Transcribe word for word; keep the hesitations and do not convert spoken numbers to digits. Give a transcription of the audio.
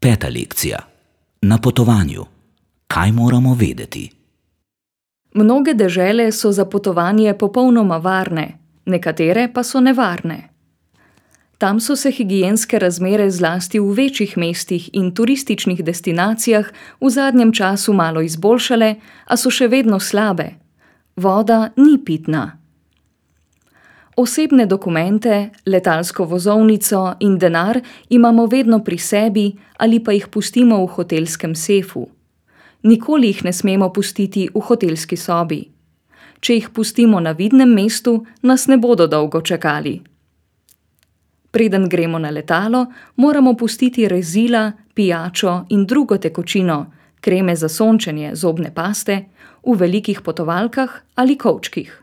Peta lekcija. Na potovanju. Kaj moramo vedeti? Mnoge dežele so za potovanje popolnoma varne, nekatere pa so nevarne. Tam so se higienske razmere zlasti v večjih mestih in turističnih destinacijah v zadnjem času malo izboljšale, a so še vedno slabe. Voda ni pitna. Osebne dokumente, letalsko vozovnico in denar imamo vedno pri sebi ali pa jih pustimo v hotelskem sefu. Nikoli jih ne smemo pustiti v hotelski sobi. Če jih pustimo na vidnem mestu, nas ne bodo dolgo čakali. Preden gremo na letalo, moramo pustiti rezila, pijačo in drugo tekočino, kreme za sončenje, zobne paste, v velikih potovalkah ali kovčkih.